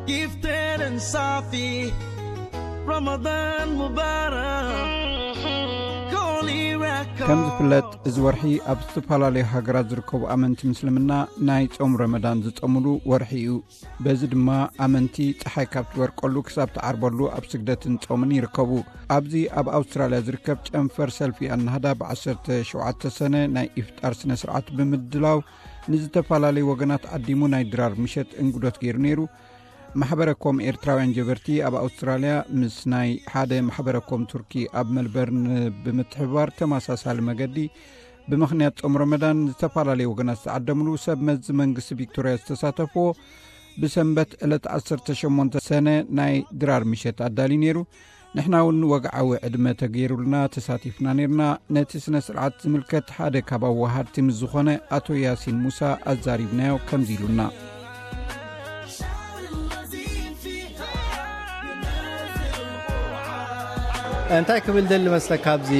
Gifted and Safi, Ramadan Mubarak, Holy Record. ከም ዝፍለጥ፣ እዚ ወርሒ ኣብ ዝተፈላለዩ ሃገራት ዝርከቡ ኣመንቲ ምስልምና ናይ ጾም ረመዳን ዝጸምሉ ወርሒ እዩ። በዚ ድማ ኣመንቲ ጸሓይ ካብ ትበርቀሉ ክሳብ ትዓርበሉ ኣብ ስግደትን ጾምን ይርከቡ። ኣብዚ ኣብ ኣውስትራልያ ዝርከብ ጨንፈር ሰልፊ ኣናህዳ ብ ዓሰርተ ሸውዓተ ሰነ ናይ ኢፍጣር ስነ ስርዓት ብምድላው ንዝተፈላለዩ ወገናት ዓዲሙ ናይ ድራር ምሸት እንግዶት ገይሩ ነይሩ። ማሕበረ ኮም ኤርትራውያን ጀበርቲ ኣብ ኣውስትራልያ ምስ ናይ ሓደ ማሕበረ ኮም ቱርኪ ኣብ መልበርን ብምትሕብባር ተመሳሳሊ መገዲ ብምኽንያት ጾም ረመዳን ዝተፈላለዩ ወገናት ዝተዓደምሉ ሰብ መዚ መንግስቲ ቪክቶርያ ዝተሳተፍዎ ብሰንበት ዕለት ዓሰርተ ሸሞንተ ሰነ ናይ ድራር ምሸት ኣዳልዩ ነይሩ። ንሕና እውን ወግዓዊ ዕድመ ተገይሩልና ተሳቲፍና ነርና። ነቲ ስነ ስርዓት ዝምልከት ሓደ ካብ ኣወሃድቲ ምስ ዝኾነ ኣቶ ያሲን ሙሳ ኣዛሪብናዮ ከምዚ ኢሉና። እንታይ ክብል ደሊ መስለካ ኣብዚ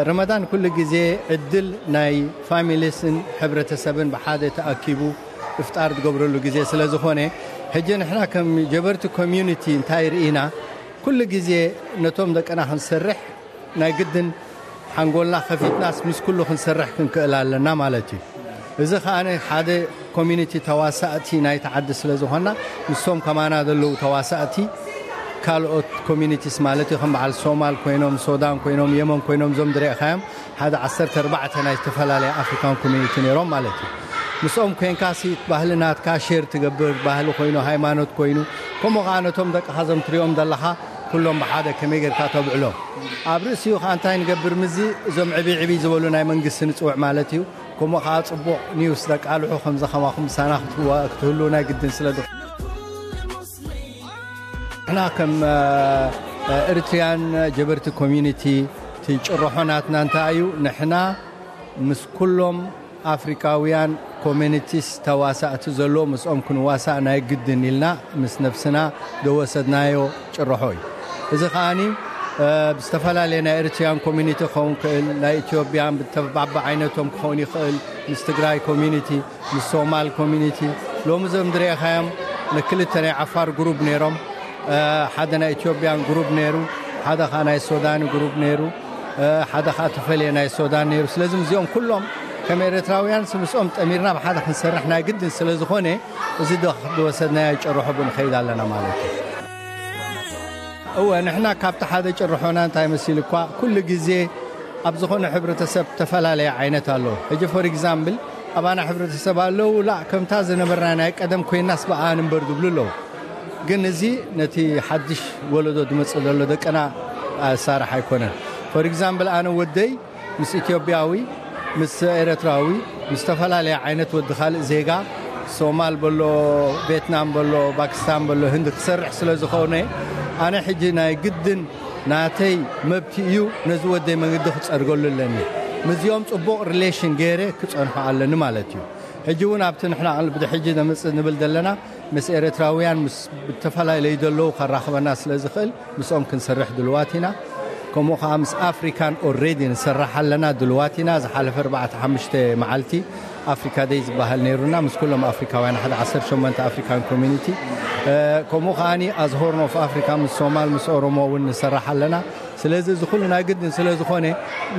ረመዳን ኩሉ ግዜ ዕድል ናይ ፋሚሊስን ሕብረተሰብን ብሓደ ተኣኪቡ እፍጣር ዝገብረሉ ግዜ ስለ ዝኾነ፣ ሕጂ ንሕና ከም ጀበርቲ ኮሚዩኒቲ እንታይ ርኢና፣ ኩሉ ግዜ ነቶም ደቅና ክንሰርሕ ናይ ግድን ሓንጎልና ከፊትናስ ምስ ኩሉ ክንሰርሕ ክንክእል ኣለና ማለት እዩ። እዚ ከኣ ሓደ ኮሚኒቲ ተዋሳእቲ ናይቲ ዓዲ ስለ ዝኾንና፣ ንሶም ከማና ዘለዉ ተዋሳእቲ ካልኦት ኮሚኒቲስ ማለት እዩ። ከም በዓል ሶማል ኮይኖም፣ ሶዳን ኮይኖም፣ የመን ኮይኖም፣ እዞም ዝረእኻዮም ሓደ ዓሰርተ ኣርባዕተ ናይ ዝተፈላለየ ኣፍሪካን ኮሚኒቲ ነይሮም ማለት እዩ። ምስኦም ኮይንካ ሲ ባህሊ ናትካ ሼር ትገብር፣ ባህሊ ኮይኑ፣ ሃይማኖት ኮይኑ፣ ከምኡ ከዓ ነቶም ደቅኻ ዘም ትሪኦም ዘለኻ ኩሎም ብሓደ ከመይ ጌርካ ተብዕሎም። ኣብ ርእሲኡ ከዓ እንታይ ንገብር ምዚ እዞም ዕብይ ዕብይ ዝበሉ ናይ መንግስቲ ንፅውዕ ማለት እዩ። ከምኡ ከዓ ፅቡቕ ኒውስ ደቃልሑ ከምዚ ከማኹም ምሳና ክትዋ- ክትህሉ ናይ ግድን ስለ ዝኾነ፣ ንሕና ከም ኤሪትሪያን ጀበርቲ ኮሚዩኒቲ እቲ ጭርሖ ናትና እንታይ እዩ? ንሕና ምስ ኩሎም ኣፍሪካውያን ኮሚኒቲስ ተዋሳእቲ ዘለዎ ምስኦም ክንዋሳእ ናይ ግድን ኢልና ምስ ነብስና ደወሰድናዮ ጭርሖ እዩ። እዚ ከዓኒ ብዝተፈላለየ ናይ ኤሪትሪያን ኮሚኒቲ ክኸውን ክእል፣ ናይ ኢትዮጵያን ብተባቢ ዓይነቶም ክኸውን ይኽእል፣ ምስ ትግራይ ኮሚኒቲ፣ ምስ ሶማል ኮሚኒቲ፣ ሎሚ እዞም ዝረእኻዮም ንክልተ ናይ ዓፋር ግሩብ ነይሮም። ሓደ ናይ ኢትዮጵያን ግሩብ ነይሩ፣ ሓደ ከዓ ናይ ሶዳን ግሩብ ነይሩ፣ ሓደ ከዓ ተፈልየ ናይ ሶዳን ነይሩ። ስለዚ እዚኦም ኩሎም ከም ኤርትራውያን ምስኦም ጠሚርና ብሓደ ክንሰርሕ ናይ ግድን ስለ ዝኾነ፣ እዚ ዝወሰድናዮ ጭርሖ ብንኸይድ ኣለና ማለት እዩ። እወ፣ ንሕና ካብቲ ሓደ ጭርሖና እንታይ መሲሉ እኳ ኩሉ ግዜ ኣብ ዝኾነ ሕብረተሰብ ተፈላለየ ዓይነት ኣሎ። ሕጂ ፎር ኤግዛምብል ኣባና ሕብረተሰብ ኣለዉ ላ ከምታ ዝነበርና ናይ ቀደም ኮይናስ ብኣ ንንበር ዝብሉ ኣለዉ። ግን እዚ ነቲ ሓድሽ ወለዶ ዝመጽእ ዘሎ ደቅና ኣሳራሕ ኣይኮነን። ፎር ኤግዛምብል ኣነ ወደይ ምስ ኢትዮጵያዊ፣ ምስ ኤረትራዊ፣ ምስ ዝተፈላለየ ዓይነት ወዲ ካልእ ዜጋ፣ ሶማል በሎ፣ ቬትናም በሎ፣ ፓኪስታን በሎ፣ ህንዲ ክሰርሕ ስለ ዝኾነ ኣነ ሕጂ ናይ ግድን ናተይ መብት እዩ ነዚ ወደይ መንገዲ ክጸርገሉ ኣለኒ። ምስዚኦም ጽቡቕ ሪሌሽን ገይረ ክጸንሖ ኣለኒ ማለት እዩ። ሕጂ እውን ኣብቲ ንሕና ብድሕጂ ነምጽእ ንብል ዘለና ምስ ኤረትራውያን ምስ ዝተፈላለዩ ዘለዉ ከራኽበና ስለ ዝኽእል ምስኦም ክንሰርሕ ድልዋት ኢና። ከምኡ ከዓ ምስ ኣፍሪካን ኦሬዲ ንሰራሕ ኣለና ድልዋት ኢና። ዝሓለፈ ኣርባዕተ ሓሙሽተ መዓልቲ ኣፍሪካ ደይ ዝበሃል ነይሩና ምስ ኩሎም ኣፍሪካውያን ሓደ ዓሰርተ ሸሞንተ ኣፍሪካን ኮሚኒቲ። ከምኡ ከዓኒ ኣዝ ሆርን ኦፍ ኣፍሪካ ምስ ሶማል ምስ ኦሮሞ እውን ንሰራሕ ኣለና። ስለዚ እዚ ኩሉ ናይ ግድን ስለ ዝኾነ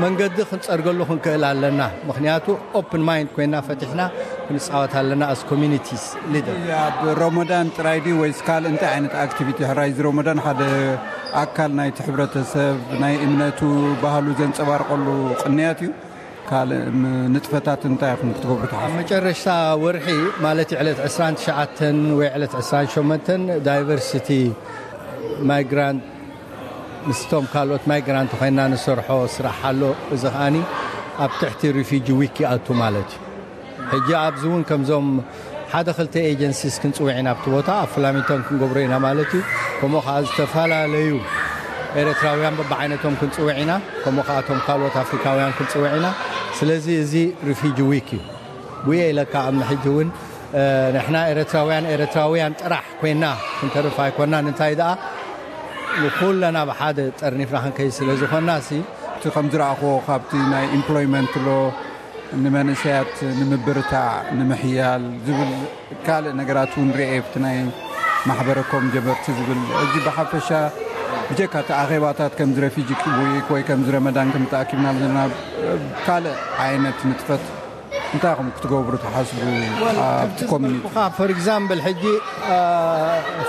መንገዲ ክንፀርገሉ ክንክእል ኣለና። ምክንያቱ ኦፕን ማይንድ ኮይና ፈቲሕና ክንፃወት ኣለና ኣስ ኮሚኒቲስ ሊደር። ኣብ ሮሞዳን ጥራይ ድዩ ወይስ ካልእ እንታይ ዓይነት ኣክቲቪቲ? ሕራይ እዚ ሮሞዳን ሓደ ኣካል ናይቲ ሕብረተሰብ ናይ እምነቱ ባህሉ ዘንፀባርቀሉ ቅንያት እዩ። ካልእ ም- ንጥፈታት እንታይ ኢኹም ክትገብሩ ኣብ ትሓስቡ? መጨረሽታ ወርሒ ማለት እዩ ዕለት ዕስራን ትሽዓተን ወይ ዕለት ዕስራን ሸሞንተን ዳይቨርሲቲ ማይግራንት ምስቶም ካልኦት ማይግራንት ኮይና ንሰርሖ ስራሕ ኣሎ። እዚ ከዓኒ ኣብ ትሕቲ ሪፊጂ ዊክ ይኣቱ ማለት እዩ። ሕጂ ኣብዚ እውን ከምዞም ሓደ ክልተ ኤጀንሲስ ክንፅውዕ ኢና ኣብቲ ቦታ ኣብ ፍላሚንግቶን ክንገብሮ ኢና ማለት እዩ። ከምኡ ከዓ ዝተፈላለዩ ኤረትራውያን በብዓይነቶም ክንፅውዕ ኢና። ከምኡ ከዓ እቶም ካልኦት ኣፍሪካውያን ክንፅውዕ ኢና። ስለዚ እዚ ሪፊጂ ዊክ እዩ። ጉየ ኢለካ ኣብ ሕጂ እውን ንሕና ኤረትራውያን ኤረትራውያን ጥራሕ ኮይና ክንተርፍ ኣይኮናን። እንታይ ደኣ ንኩለና ብሓደ ጠርኒፍና ክንከይድ ስለ ዝኾና ሲ እቲ ከም ዝረኣኽዎ ካብቲ ናይ ኢምፕሎይመንት ሎ ንመንእሰያት ንምብርታዕ ንምሕያል ዝብል ካልእ ነገራት እውን ርኤ ኣብቲ ናይ ማሕበረኮም ጀበርቲ ዝብል ሕጂ ብሓፈሻ ብጀካ እቲ ኣኼባታት ከምዚ ረፊጂ ዊክ ወይ ከምዚ ረመዳን ከም ተኣኪብና ዘለና ካልእ ዓይነት ንጥፈት እንታይ ኢኹም ክትገብሩ ትሓስቡ ኣብቲ ኮሚኒቲ? ፎር ኤግዛምፕል ሕጂ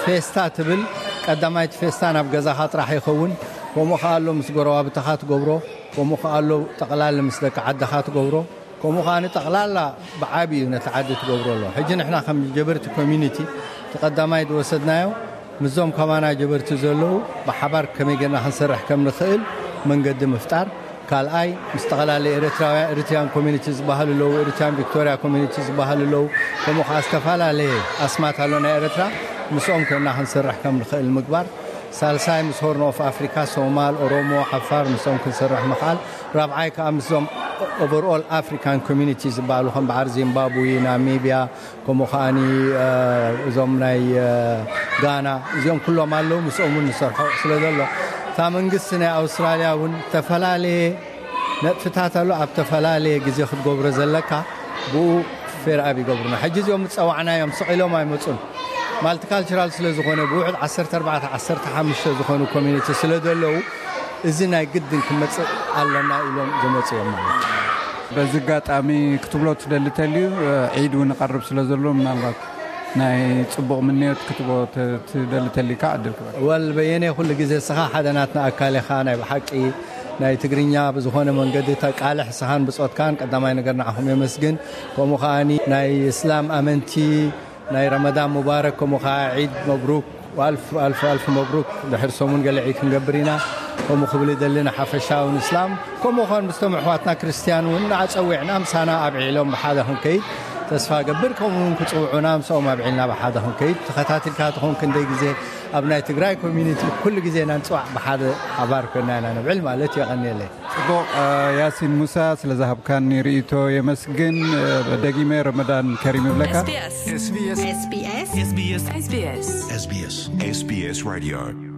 ፌስታ ትብል ቀዳማይቲ ፌስታ ናብ ገዛኻ ጥራሕ ይኸውን። ከምኡ ከኣ ኣሎ ምስ ጎረባብትኻ ትገብሮ፣ ከምኡ ከኣ ኣሎ ጠቕላሊ ምስ ደቂ ዓድኻ ትገብሮ፣ ከምኡ ከኣ ጠቕላላ ብዓቢ እዩ ነቲ ዓዲ ትገብሮ ኣሎ። ሕጂ ንሕና ከም ጀበርቲ ኮሚኒቲ እቲ ቀዳማይ ዝወሰድናዮ ምስዞም ከማና ጀበርቲ ዘለዉ ብሓባር ከመይ ጌርና ክንሰርሕ ከም ንኽእል መንገዲ ምፍጣር። ካልኣይ ምስ ጠቕላሊ ኤርትራውያን ኤሪትሪያን ኮሚኒቲ ዝበሃሉ ኣለዉ፣ ኤሪትሪያን ቪክቶሪያ ኮሚኒቲ ዝበሃሉ ኣለዉ። ከምኡ ከዓ ዝተፈላለየ ኣስማት ኣሎ ናይ ኤርትራ፣ ምስኦም ኮይና ክንሰርሕ ከም ንኽእል ምግባር። ሳልሳይ ምስ ሆርን ኦፍ ኣፍሪካ ሶማል፣ ኦሮሞ፣ ዓፋር ምስኦም ክንሰርሕ ምኽኣል። ራብዓይ ከዓ ምስዞም ኦቨርኦል ኣፍሪካን ኮሚኒቲ ዝበሃሉ ከም በዓር ዚምባብዌ፣ ናሚብያ፣ ከምኡ ከዓኒ እዞም ናይ ጋና እዚኦም ኩሎም ኣለዉ። ምስኦም እውን ንሰርሖ ስለ ዘሎ እታ መንግስቲ ናይ ኣውስትራልያ እውን ዝተፈላለየ ነጥፍታት ኣሎ። ኣብ ዝተፈላለየ ግዜ ክትገብሮ ዘለካ ብኡ ፌር ኣብ ይገብሩና። ሕጂ እዚኦም ዝፀዋዕናዮም ስቕ ኢሎም ኣይመፁን። ማልቲካልቸራል ስለ ዝኾነ ብውሕድ ዓሰርተ ኣርባዕተ ዓሰርተ ሓሙሽተ ዝኾኑ ኮሚኒቲ ስለ ዘለዉ እዚ ናይ ግድን ክመፅእ ኣለና ኢሎም ዝመፁ እዮም ማለት እዩ። በዚ ኣጋጣሚ ክትብሎ ትደሊ ተልዩ ዒድ እውን ይቐርብ ስለ ዘሎ ምናልባት ናይ ፅቡቕ ምንዮት ክትቦ ትደሊ ተልካ ዕድል ክበል። ወል በየነ ኩሉ ግዜ ስኻ ሓደ ናትና ኣካል ኢኻ። ናይ ብሓቂ ናይ ትግርኛ ብዝኾነ መንገዲ ተቃልሕ ስኻን ብፆትካን ቀዳማይ ነገር ንዓኹም የመስግን። ከምኡ ከዓኒ ናይ እስላም ኣመንቲ ናይ ረመዳን ሙባረክ ከምኡ ከዓ ዒድ መብሩክ ኣልፍ ኣልፍ ኣልፍ መብሩክ። ድሕር ሰሙን ገለ ዒድ ክንገብር ኢና። ከምኡ ክብል ይደሊ ንሓፈሻውን እስላም ከምኡ ኾን ምስቶም ኣሕዋትና ክርስትያን እውን ንዓፀዊዕና ምሳና ኣብዒሎም ብሓደ ክንከይድ ተስፋ ገብር። ከምኡ እውን ክፅውዑና ምስኦም ኣብዒልና ብሓደ ክንከይድ ተኸታቲልካ ትኾን ክንደይ ግዜ ኣብ ናይ ትግራይ ኮሚኒቲ ኩሉ ግዜ ኢና ንፅዋዕ ብሓደ ሓባር ኮይና ኢና ንብዕል ማለት የቐንየለይ። ጽቡቕ። ያሲን ሙሳ፣ ስለ ዝሃብካኒ ርእይቶ የመስግን። ደጊመ ረመዳን ከሪም ይብለካ። SBS SBS SBS SBS SBS SBS Radio